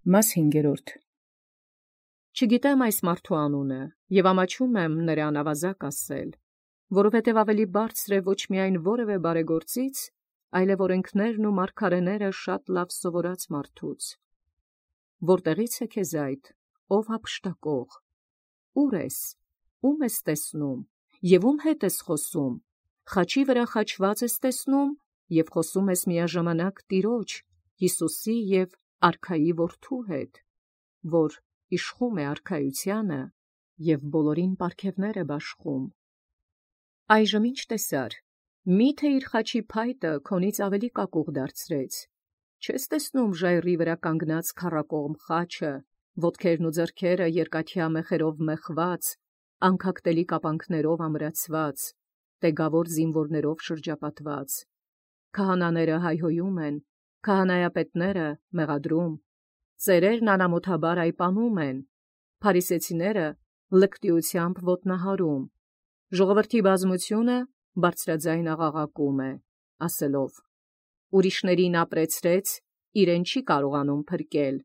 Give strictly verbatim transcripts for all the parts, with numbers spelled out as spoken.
Մաս հինգերորդ. Չգիտեմ այս մարդու անունը, և ամաչում եմ նրան ավազակ ասել, որովհետև ավելի բարձր է ոչ միայն որևէ բարեգործից, այլև օրենքներն ու մարգարեները շատ լավ սովորած մարդուց։ Որտեղից է քեզ այդ, ով հափշտակող, ուր ես, ում ես տեսնում, և ում հետ ես խոսում, խաչի վրա խաչված ես տեսնում, և խոսում ես միաժամանակ Տիրոջ, Յիսուսի և արքայի որդու հետ, որ իշխում է արքայությանը և բոլորին պարգևներ է բաշխում։ Այժմ ի՞նչ տեսար, մի՞թե իր խաչի փայտը քոնից ավելի կակուղ դարձրեց, չես տեսնում ժայռի վրա կանգնած քառակողմ խաչը, ոտքերն ու ձեռքերը երկաթյա մեխերով մեխված, անքակտելի կապանքներով ամրացված, տեգավոր զինվորներով շրջապատված, քահանաները հայհոյում են, քահանայապետները մեղադրում, ծերերն անամոթաբար այպանում են, փարիսեցիները լկտիությամբ ոտնահարում, ժողովրդի բազմությունը բարձրաձայն աղաղակում է, ասելով. ուրիշներին ապրեցրեց, իրեն չի կարողանում փրկել։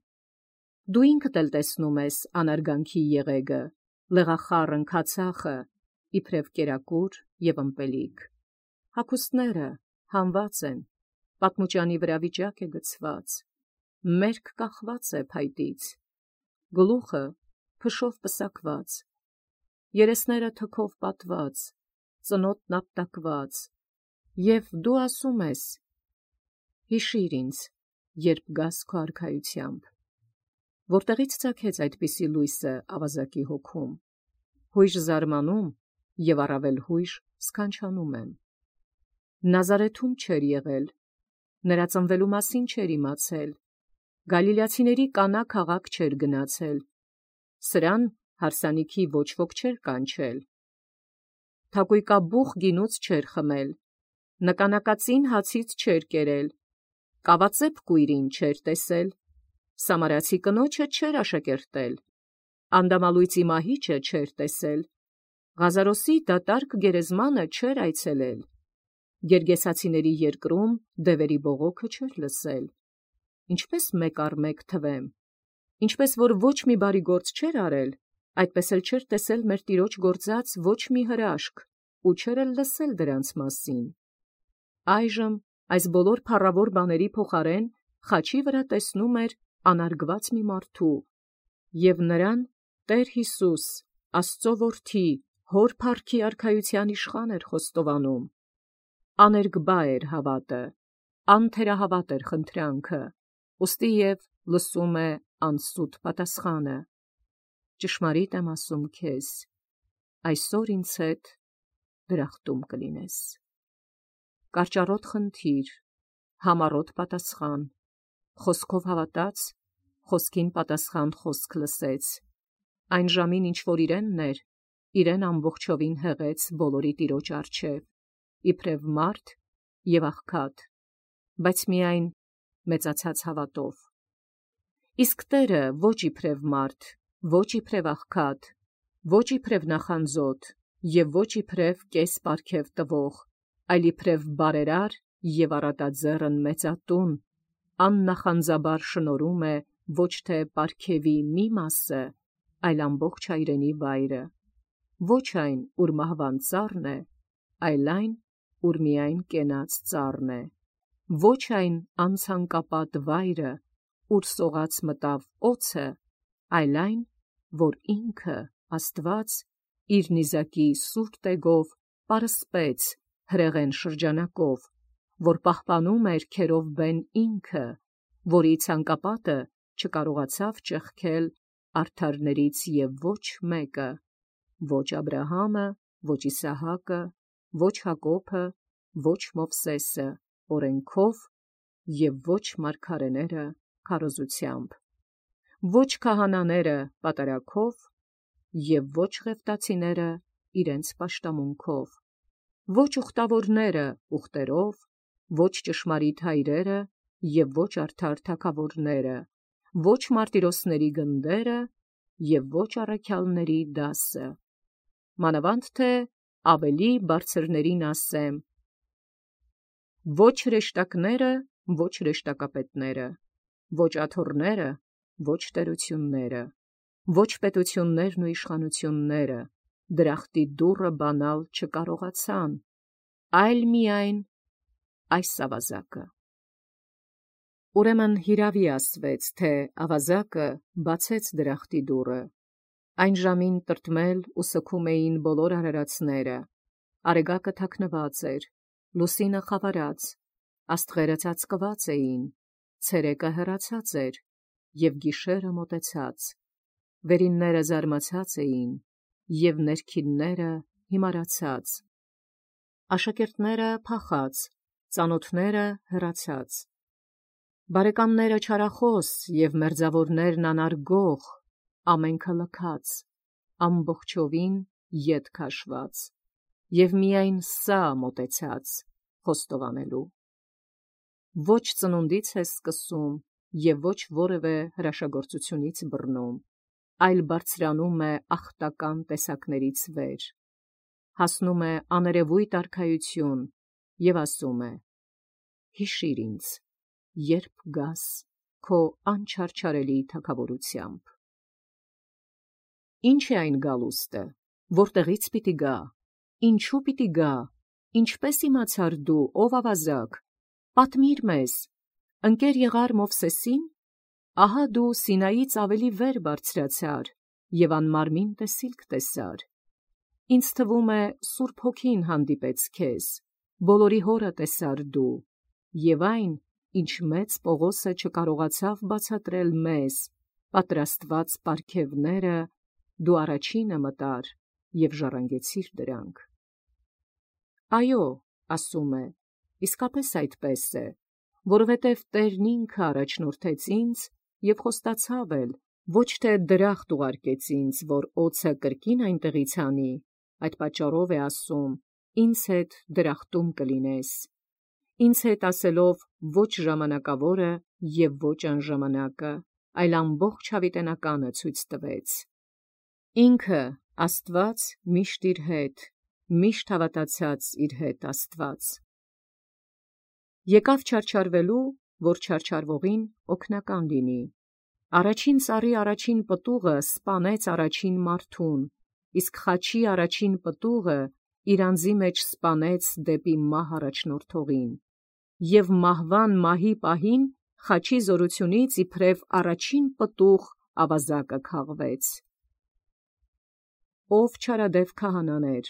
Դու ինքդ էլ տեսնում ես անարգանքի եղեգը, լեղախառն քացախը, իբրև կերակուր և ըմպելիք։ Հագուստները հանված են, պատմուճանի վրա վիճակ է գցված, մերկ կախված է փայտից, գլուխը փշով պսակված, երեսները թքով պատված, ծնոտն ապտակված, և դու ասում ես. հիշիր ինձ, երբ գաս քո արքայությամբ։ Որտեղից ծագեց այդպիսի լույսը ավազակի հոգում, հույժ զարմանում և առավել հույժ սքանչանում եմ։ Նազարեթում չէր եղել, նրա ծնվելու մասին չէր իմացել, գալիլեացիների Կանա քաղաք չէր գնացել, սրան հարսանիքի ոչ ոք չէր կանչել, թակույկաբուխ գինուց չէր խմել, նկանակածին հացից չէր կերել, կավածեպ կույրին չէր տեսել, սամարացի կնոջը չէր աշակերտել, անդամալույծի մահիճը չէր տեսել, Ղազարոսի դատարկ գերեզմանը չէր այցելել, գերգեսացիների երկրում դևերի բողոքը չէր լսել։ Ինչպես մեկ առ մեկ թվեմ, ինչպես որ ոչ մի բարի գործ չէր արել, այդպես էլ չէր տեսել մեր Տիրոջ գործած ոչ մի հրաշք, ու չէր էլ լսել դրանց մասին։ Այժմ այս բոլոր փառավոր բաների փոխարեն խաչի վրա տեսնում էր անարգված մի մարդու, և նրան Տեր Յիսուս, Աստծո որդի, հոր փառքի արքայության իշխան էր խոստովանում։ Աներկբա էր հավատը, անթերահավատ էր խնդրանքը, ուստի և լսում է անսուտ պատասխանը. ճշմարիտ եմ ասում քեզ, այսօր ինձ հետ դրախտում կլինես։ Կարճառոտ խնդիր, համառոտ պատասխան, խոսքով հավատաց, խոսքին պատասխան խոսք լսեց, այն ժամին ինչ որ իրենն էր, իրեն ամբողջովին հեղեց բոլորի Տիրոջ առջև, իբրև մարդ և աղքատ, բայց միայն մեծացած հավատով։ Իսկ Տերը ոչ իբրև մարդ, ոչ իբրև աղքատ, ոչ իբրև նախանձոտ և ոչ իբրև կես պարգև տվող, այլ իբրև բարերար և առատաձեռն մեծատուն, աննախանձաբար շնորհում է ոչ թե պարգևի մի մասը, այլ ամբողջ հայրենի վայրը, ոչ այն, ուր մահվան ծառն է, այլ այն, ուր միայն կենաց ծառն է, ոչ այն անցանկապատ վայրը, ուր սողաց մտավ օձը, այլ այն, որ ինքը Աստված իր նիզակի սուր տեգով պարսպեց հրեղեն շրջանակով, որ պահպանում էր քերովբեն ինքը, որի ցանկապատը չկարողացավ ճեղքել արդարներից և ոչ մեկը, ոչ Աբրահամը, ոչ Իսահակը, ոչ Հակոբը, ոչ Մովսեսը օրենքով և ոչ մարգարեները քարոզությամբ, ոչ քահանաները պատարագով և ոչ ղևտացիները իրենց պաշտամունքով, ոչ ուխտավորները ուխտերով, ոչ ճշմարիտ հայրերը և ոչ արդար թագավորները, ոչ մարտիրոսների գնդերը և ոչ առաքյալների դասը, մանավանդ թե ավելի բարձրներին ասեմ. ոչ հրեշտակները, ոչ հրեշտակապետները, ոչ աթոռները, ոչ տերությունները, ոչ պետություններն ու իշխանությունները դրախտի դուռը բանալ չկարողացան, այլ միայն այս ավազակը։ Ուրեմն հիրավի ասվեց, թե ավազակը բացեց դրախտի դուռը։ Այն ժամին տրտմել ու սգում էին բոլոր արարածները, արեգակը թաքնված էր, լուսինը խավարած, աստղերը ծածկված էին, ցերեկը հեռացած էր, և գիշերը մոտեցած, վերինները զարմացած էին, և ներքինները հիմարացած, աշակերտները փախած, ծանոթները հեռացած, բարեկամները չարախոս և մերձավորներն անարգող, ամենքը լքած, ամբողջովին ետ քաշված, և միայն սա մոտեցած խոստովանելու։ Ոչ ծնունդից է սկսում և ոչ որևէ հրաշագործությունից բռնում, այլ բարձրանում է ախտական տեսակներից վեր, հասնում է աներևույթ արքայություն և ասում է. «Հիշիր ինձ, երբ գաս քո անչարչարելի թագավորությամբ»։ Ինչ է այն գալուստը, որտեղից պիտի գա, ինչու պիտի գա, ինչպես իմացար դու, ով ավազակ, պատմիր մեզ, ընկեր եղա՞ր Մովսեսին, ահա դու Սինայից ավելի վեր բարձրացար և անմարմին տեսիլք տեսար, ինձ թվում է Սուրբ Հոգին հանդիպեց քեզ, բոլորի հորը տեսար դու, և այն, ինչ մեծ Պողոսը չկարողացավ բացատրել մեզ, պատրաստված պարգևները, դու առաջինը մտար և ժառանգեցիր դրանք։ Այո, ասում է, իսկապես այդպես է, որովհետև Տերն ինքը առաջնորդեց ինձ և խոստացավ էլ, ոչ թե դրախտ ուղարկեց ինձ, որ օձը կրկին այնտեղից հանի, այդ պատճառով է ասում, ինձ հետ դրախտում կլինես, ինձ հետ ասելով ոչ ժամանակավորը և ոչ անժամանակը, այլ ամբողջ հավիտենականը ցույց տվեց։ Ինքը, Աստված, միշտ իր հետ, միշտ հավատացած իր հետ Աստված։ Եկավ չարչարվելու, որ չարչարվողին օգնական լինի։ Առաջին ծառի առաջին պտուղը սպանեց առաջին մարդուն, իսկ խաչի առաջին պտուղը իր անձի մեջ սպանեց դեպի մահ առաջնորդողին, և մահվան մահի պահին խաչի զորությունից իբրև առաջին պտուղ ավազակը քաղվեց։ Ով չարադև քահանաներ,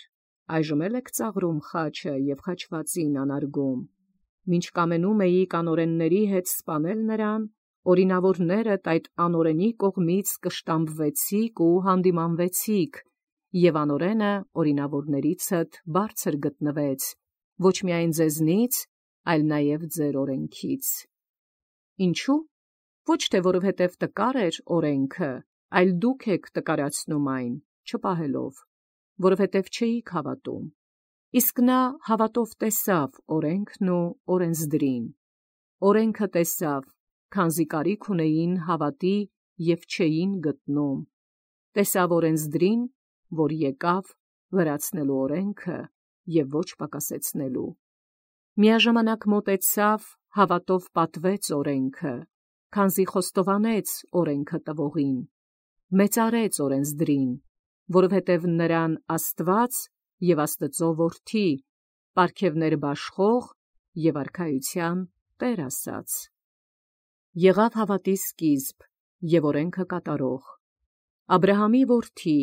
այժմ էլ եք ծաղրում խաչը և խաչվածին անարգում, մինչ կամենում էիք անօրենների հետ սպանել նրան, օրինավորներդ այդ անօրենի կողմից կշտամբվեցիք ու հանդիմանվեցիք, և անօրենը օրինավորներիցդ բարձր գտնվեց, ոչ միայն ձեզնից, այլ նաև ձեր օրենքից։ Ինչու՞։ Ոչ թե որովհետև տկար էր օրենքը, այլ դուք եք տկարացնում այն, չպահելով, որովհետև չէիք հավատում։ Իսկ նա հավատով տեսավ օրենքն ու օրենսդրին։ Օրենքը տեսավ, քանզի կարիք ունեին հավատի և չէին գտնում, տեսավ օրենսդրին, որ եկավ լրացնելու օրենքը և ոչ պակասեցնելու։ Միաժամանակ մոտեցավ, հավատով պատվեց օրենքը, քանզի խոստովանեց օրենքը տվողին, մեծարեց օրենսդրին, որովհետև նրան Աստված և Աստծու որդի, պարգևներ բաշխող և արքայության Տեր ասաց։ Եղավ հավատի սկիզբ և օրենքը կատարող, Աբրահամի որդի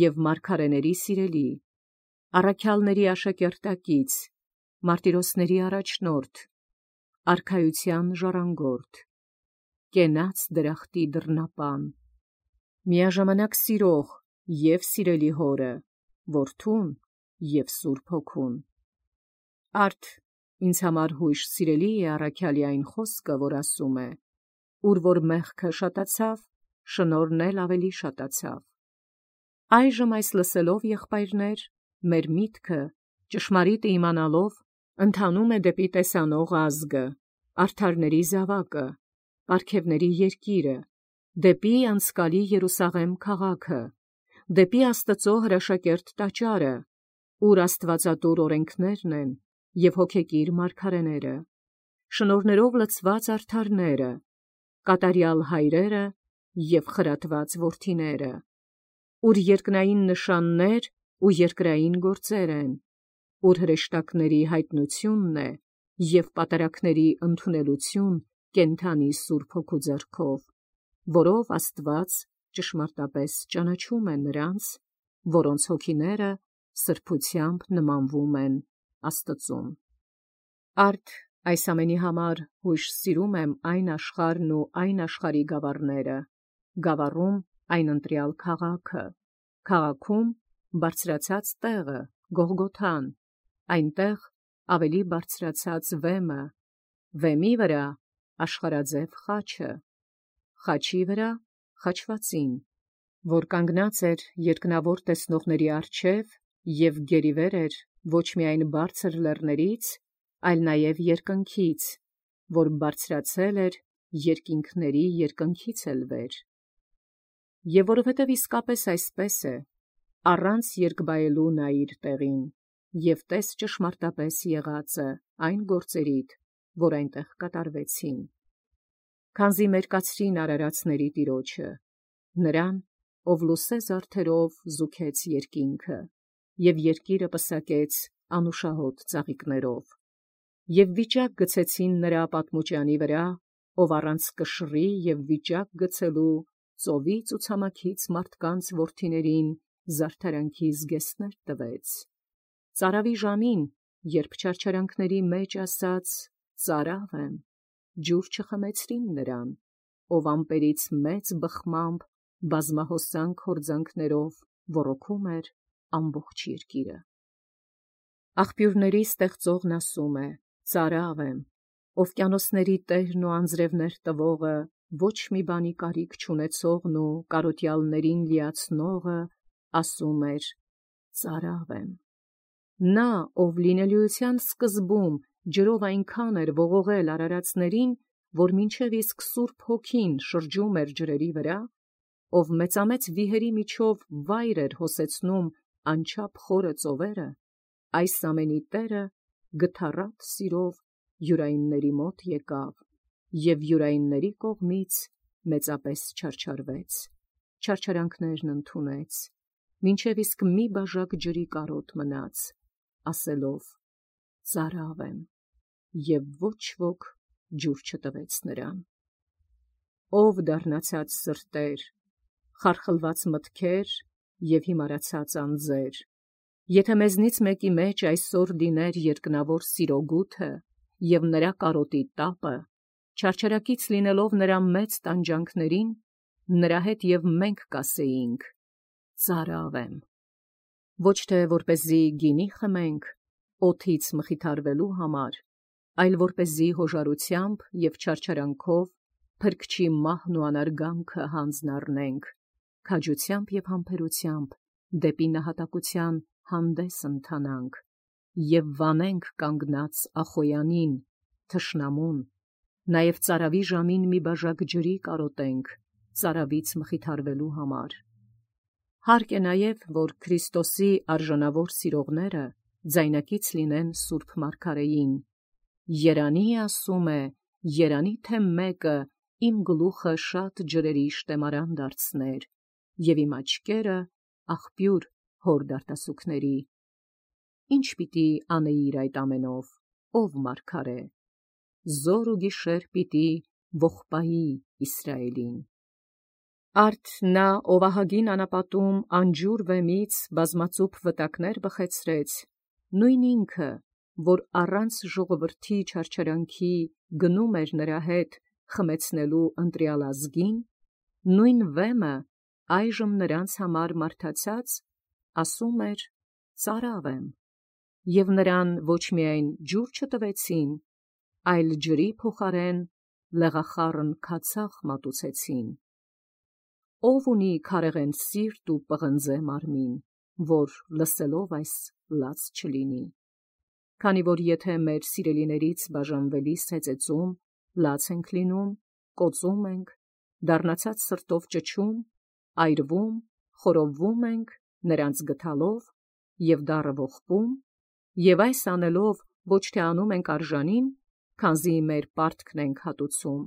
և մարգարեների սիրելի, առաքյալների աշակերտակից, մարտիրոսների առաջնորդ, արքայության ժառանգորդ, կենաց դրախտի դռնապան, միաժամանակ սիրող և սիրելի հորը, որդուն և Սուրբ Հոգուն։ Արդ ինձ համար հույժ սիրելի է առաքյալի այն խոսքը, որ ասում է. «Ուր որ մեղքը շատացավ, շնորհն էլ ավելի շատացավ»։ Այժմ այս լսելով, եղբայրներ, մեր միտքը, ճշմարիտը իմանալով, ընթանում է դեպի տեսանող ազգը, արդարների զավակը, պարգևների երկիրը, դեպի անցկալի Երուսաղեմ քաղաքը, դեպի Աստծու հրաշակերտ տաճարը, ուր աստվածատուր օրենքներն են և հոգեկիր մարգարեները, շնորհներով լցված արդարները, կատարյալ հայրերը և խրատված որդիները, ուր երկնային նշաններ ու երկրային գործեր են, ուր հրեշտակների հայտնությունն է և պատարագների ընդունելություն կենդանի Սուրբ Հոգու ձեռքով, որով Աստված ճշմարտապես ճանաչում է նրանց, որոնց հոգիները սրբությամբ նմանվում են Աստծուն։ Արդ այս ամենի համար հույժ սիրում եմ այն աշխարհն ու այն աշխարհի գավառները, գավառում այն ընտրյալ քաղաքը, քաղաքում բարձրացած տեղը, Գողգոթան, այնտեղ ավելի բարձրացած վեմը, վեմի վրա աշխարհաձև խաչը, խաչի վրա խաչվածին, որ կանգնած էր երկնավոր տեսնողների առջև և գերիվեր էր ոչ միայն բարձր լեռներից, այլ նաև երկնքից, որ բարձրացել էր երկինքների երկնքից էլ վեր։ Եվ որովհետև իսկապես այսպես է, առանց երկբայելու նայիր տեղին, և տես ճշմարտապես եղածը այն գործերիդ, որ այնտեղ կատարվեցին։ Քանզի մերկացրին արարածների Տիրոջը, նրան, ով լուսե զարդերով զուգեց երկինքը, և երկիրը պսակեց անուշահոտ ծաղիկներով, և վիճակ գցեցին նրա պատմուճանի վրա, ով առանց կշռի և վիճակ գցելու ծովի ցուցամաքից մարդկանց որդիներին զարդարանքի զգեստներ տվեց։ Ծարավի ժամին, երբ չարչարանքների մեջ ասաց. «Ծարավ եմ», ջուր չխմեցրին նրան, ով ամպերից մեծ բխմամբ բազմահոսանք հորձանքներով ոռոգում էր ամբողջ երկիրը։ Աղբյուրների ստեղծողն ասում է. «Ծարավ եմ», օվկիանոսների տերն ու անձրևներ տվողը, ոչ մի բանի կարիք չունեցողն ու կարոտյալներին լիացնողը ասում էր. «Ծարավ եմ»։ Նա, ով լինելիության սկզբում ջրով այնքան էր ողողել արարածներին, որ մինչև իսկ Սուրբ Հոգին շրջում էր ջրերի վրա, ով մեծամեծ վիհերի միջով վայր էր հոսեցնում անչափ խորը ծովերը, այս ամենի Տերը գթառատ սիրով յուրայինների մոտ եկավ և յուրայինների կողմից մեծապես չարչարվեց, չարչարանքներն ընդունեց, մինչև իսկ մի բաժակ ջրի կարոտ մնաց, ասելով. «Ծարավ եմ», և ոչ ոք ջուր չտվեց նրան։ Ով դառնացած սրտեր, խարխլված մտքեր և հիմարացած անձեր, եթե մեզնից մեկի մեջ այսօր լիներ երկնավոր սիրո գութը և նրա կարոտի տապը, չարչարակից լինելով նրա մեծ տանջանքներին, նրա հետ և մենք կասեինք. «Ծարավ եմ», ոչ թե որպեսզի գինի խմենք օդից մխիթարվելու համար, այլ որպեսզի հոժարությամբ և չարչարանքով Փրկչի մահն ու անարգանքը հանձն առնենք, քաջությամբ և համբերությամբ դեպի նահատակության հանդես ընթանանք և վանենք կանգնած Ախոյանին, թշնամուն, նաև ծարավի ժամին մի բաժակ ջրի կարոտենք ծարավից մխիթարվելու համար։ Հարկ է նաև, որ Քրիստոսի արժանավոր սիրողները ձայնակից լինեն Սուրբ Մարգարեին. «Երանի, ասում է, երանի թե մեկը իմ գլուխը շատ ջրերի շտեմարան դարձներ, և իմ աչքերը աղբյուր հոր դարտասուքների»։ Ի՞նչ պիտի անեիր այդ ամենով, ով մարգարե։ Զոր ու գիշեր պիտի ողբայի Իսրայելին։ Արդ նա, ով ահագին անապատում անջուր վեմից բազմածուփ վտակներ բխեցրեց, նույն ինքը, որ առանց ժողովրդի չարչարանքի գնում էր նրա հետ խմեցնելու ընտրյալ ազգին, նույն վեմը այժմ նրանց համար մարդացած ասում էր. «Ծարավ եմ», և նրան ոչ միայն ջուր չտվեցին, այլ ջրի փոխարեն լեղախառն քացախ մատուցեցին։ Ո՞վ ունի քարեղեն սիրտ ու պղնձե մարմին, որ լսելով այս լաց չլինի։ Քանի որ եթե մեր սիրելիներից բաժանվելիս հեծեծում լաց ենք լինում, կոծում ենք, դառնացած սրտով ճչում, այրվում, խորովվում ենք նրանց գթալով և դառը ողբում, և այս անելով ոչ թե անում ենք արժանին, քանզի մեր պարտքն ենք հատուցում,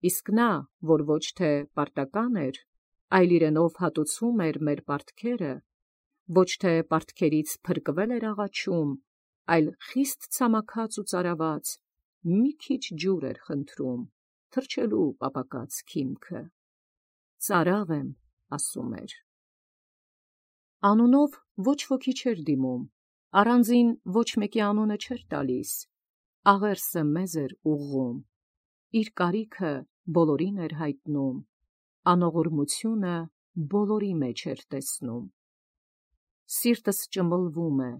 իսկ նա, որ ոչ թե պարտական էր, այլ իրենով հատուցում էր մեր պարտքերը, ոչ թե պարտքերից փրկվել էր աղաչում, այլ խիստ ցամաքած ու ծարաված, մի քիչ ջուր էր խնդրում, թրջելու պապակած քիմքը։ Ծարավ եմ, ասում էր։ Անունով ոչ ոքի չէր դիմում, առանձին ոչ մեկի անունը չէր տալիս, աղերսը մեզ էր ուղղում, իր կարիքը բոլորին էր հայտնում, անողորմությունը բոլորի մեջ էր տեսնում։ Սիրտս ճմլվում է,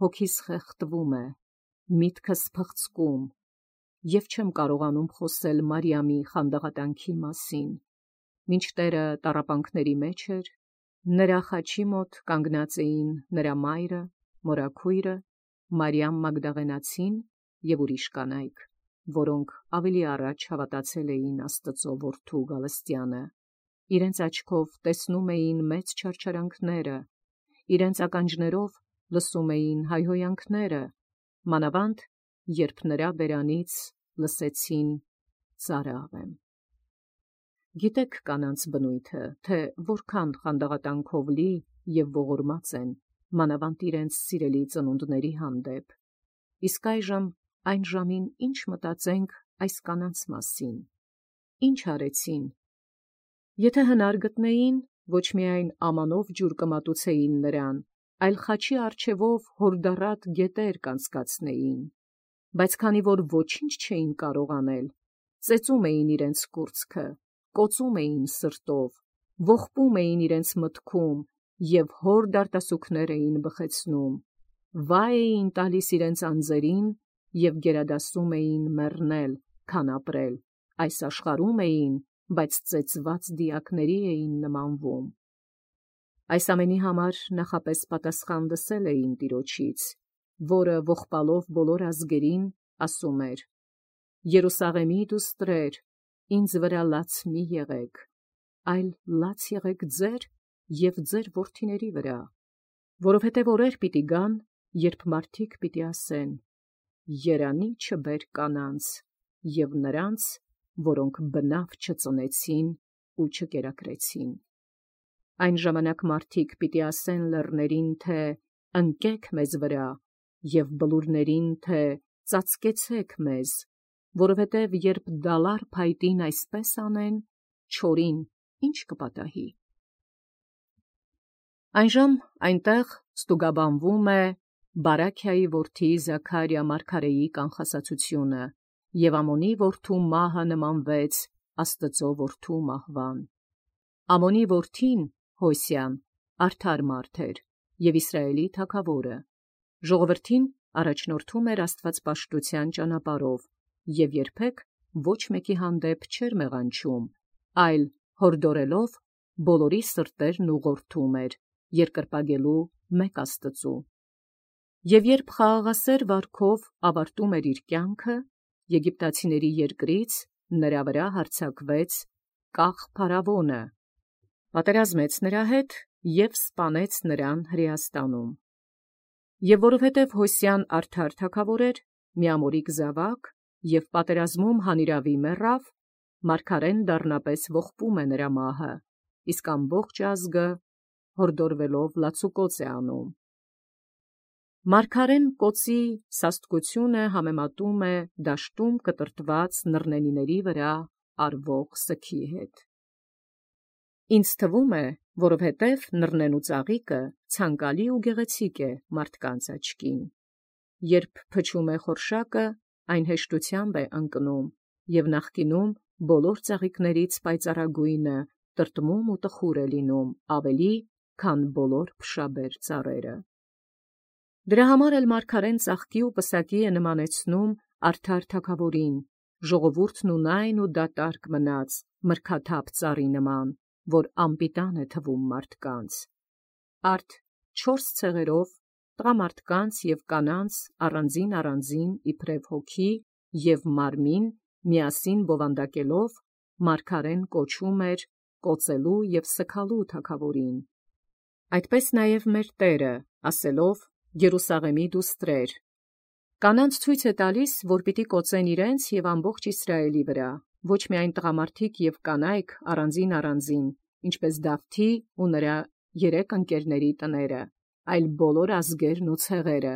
հոգիս խեղդվում է, միտքս փղծկում, և չեմ կարողանում խոսել Մարիամի խանդաղատանքի մասին, մինչդեռ տառապանքների մեջ էր, նրա խաչի մոտ կանգնած էին նրա մայրը, մորաքույրը, Մարիամ Մագդաղենացին և ուրիշ կանայք, որոնք ավելի առաջ հավատացել էին Աստծո որդու գալստյանը, իրենց աչքով տեսնում էին մեծ չարչարանքները, իրենց ականջներով լսում էին հայհոյանքները, մանավանդ երբ նրա բերանից լսեցին ծարավ եմ։ Գիտեք կանանց բնույթը, թե որքան խանդաղատանքով լի և ողորմած են, մանավանդ իրենց սիրելի ծնունդների հանդեպ, իսկ այժմ այն ժամին ինչ մտածենք այս կանանց մասին, ինչ արեցին։ Եթե հնար գտնեին, ոչ միայն ամանով ջուր կմատուցեին նրան, այլ խաչի առջևով հորդառատ գետեր կանցկացնեին, բայց քանի որ ոչինչ չէին կարող անել, ծեծում էին իրենց կուրծքը, կոծում էին սրտով, ողբում էին իրենց մտքում և հորդ արտասուքներ էին բխեցնում, վայ էին տալիս իրենց անձերին և գերադասում էին մեռնել, քան ապրել, այս աշխարհում էին, բայց ծեծված դիակների էին նմանվում։ Այս ամենի համար նախապես պատասխան լսել էին Տիրոջից, որը ողբալով բոլոր ազգերին ասում էր. «Երուսաղեմի դուստրեր, ինձ վրա լաց մի եղեք, այլ լաց եղեք ձեր և ձեր որդիների վրա, որովհետև օրեր պիտի գան, երբ մարդիկ պիտի ասեն. երանի չբեր կանանց և նրանց, որոնք բնավ չծնեցին ու չկերակրեցին։ Այն ժամանակ մարդիկ պիտի ասեն լեռներին, թե ընկեք մեզ վրա, և բլուրներին, թե ծածկեցեք մեզ, որովհետև երբ դալար փայտին այսպես անեն, չորին ի՞նչ կպատահի»։ Այնժամ այնտեղ ստուգաբանվում է Բարաքիայի որդի Զաքարիա մարգարեի կանխասացությունը, և Ամոնի որդու մահը նմանվեց Աստծո որդու մահվան։ Ամոնի որդին Հոսիան արդար մարդ էր և Իսրայելի թագավորը, ժողովրդին առաջնորդում էր աստվածպաշտության ճանապարհով և երբեք ոչ մեկի հանդեպ չէր մեղանչում, այլ հորդորելով բոլորի սրտերն ուղղորդում էր երկրպագելու մեկ Աստծու։ Եվ երբ խաղաղասեր վարքով ավարտում էր իր կյանքը, եգիպտացիների երկրից նրա վրա հարձակվեց կախ փարավոնը, պատերազմեց նրա հետ և սպանեց նրան Հրեաստանում։ Եվ որովհետև Հոսիան արդար թագավոր էր, միամորիկ զավակ և պատերազմում հանիրավի մեռավ, մարգարեն դառնապես ողբում է նրա մահը, իսկ ամբողջ ազգը հորդորվելով լացուկոծ է անում։ Մարգարեն կոծի սաստկությունը համեմատում է դաշտում կտրտված նռնենիների վրա արվող սգի հետ։ Ինձ թվում է, որովհետև նռնենու ծաղիկը ցանկալի ու գեղեցիկ է մարդկանց աչքին։ Երբ փչում է խորշակը, այն հեշտությամբ է ընկնում, և նախկինում բոլոր ծաղիկներից պայծառագույնը տրտմում ու տխուր է լինում ավելի, քան բոլոր փշաբեր ծառերը։ Դրա համար էլ մարգարեն ծաղկի ու պսակի է նմանեցնում արդար թագավորին, ժողովուրդն ունայն ու դատարկ մնաց մրգաթափ ծառի նման, որ անպիտան է թվում մարդկանց։ Արդ չորս ցեղերով, տղամարդկանց և կանանց առանձին առանձին իբրև հոգի և մարմին միասին բովանդակելով, մարգարեն կոչում էր կոծելու և սգալու թագավորին։ Այդպես նաև մեր Տերը, ասելով. «Երուսաղեմի դուստրեր», կանանց ցույց է տալիս, որ պիտի կոծեն իրենց և ամբողջ Իսրայելի վրա, ոչ միայն տղամարդիկ և կանայք առանձին առանձին, ինչպես Դավթի ու նրա երեք ընկերների տները, այլ բոլոր ազգերն ու ցեղերը,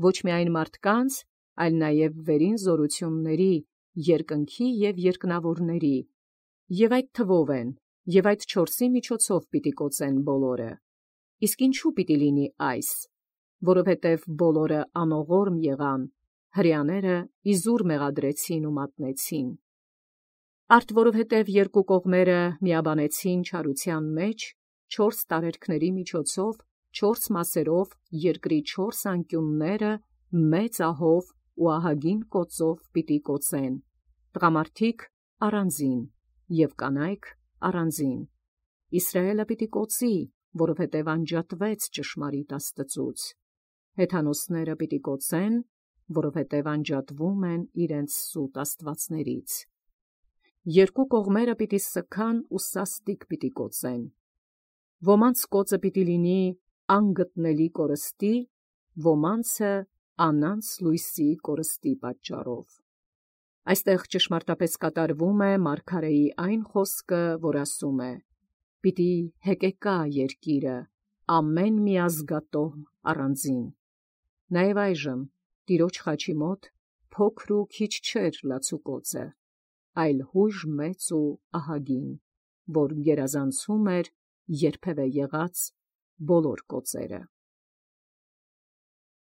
ոչ միայն մարդկանց, այլ նաև վերին զորությունների, երկնքի և երկնավորների, և այդ թվով են, և այդ չորսի միջոցով պիտի կոծեն բոլորը։ Իսկ ինչու պիտի լինի այս, որովհետև բոլորը անողորմ եղան, հրեաները իզուր մեղադրեցին ու մատնեցին։ Արդ որովհետև երկու կողմերը միաբանեցին չարության մեջ, չորս տարերքների միջոցով, չորս մասերով երկրի չորս անկյունները մեծ ահով ու ահագին կոծով պիտի կոծեն, տղամարդիկ առանձին և կանայք առանձին։ Իսրայէլը պիտի կոծի, որովհետև անջատվեց ճշմարիտ Աստծուց. հեթանոսները պիտի կոծեն, որովհետև անջատվում են իրենց սուտ աստվածներից։ Երկու կողմերը պիտի սգան ու սաստիկ պիտի կոծեն։ Ոմանց կոծը պիտի լինի անգտնելի կորստի, ոմանցը անանց լույսի կորստի պատճառով։ Այստեղ ճշմարտապես կատարվում է մարգարեի այն խոսքը, որ ասում է. «Պիտի հեկեկա երկիրը, ամեն մի ազգատոհ առանձին»։ Նաև այժմ Տիրոջ խաչի մոտ փոքր ու քիչ չէր լացուկոծը, այլ հույժ մեծ ու ահագին, որ գերազանցում էր երբևէ եղած բոլոր կոծերը։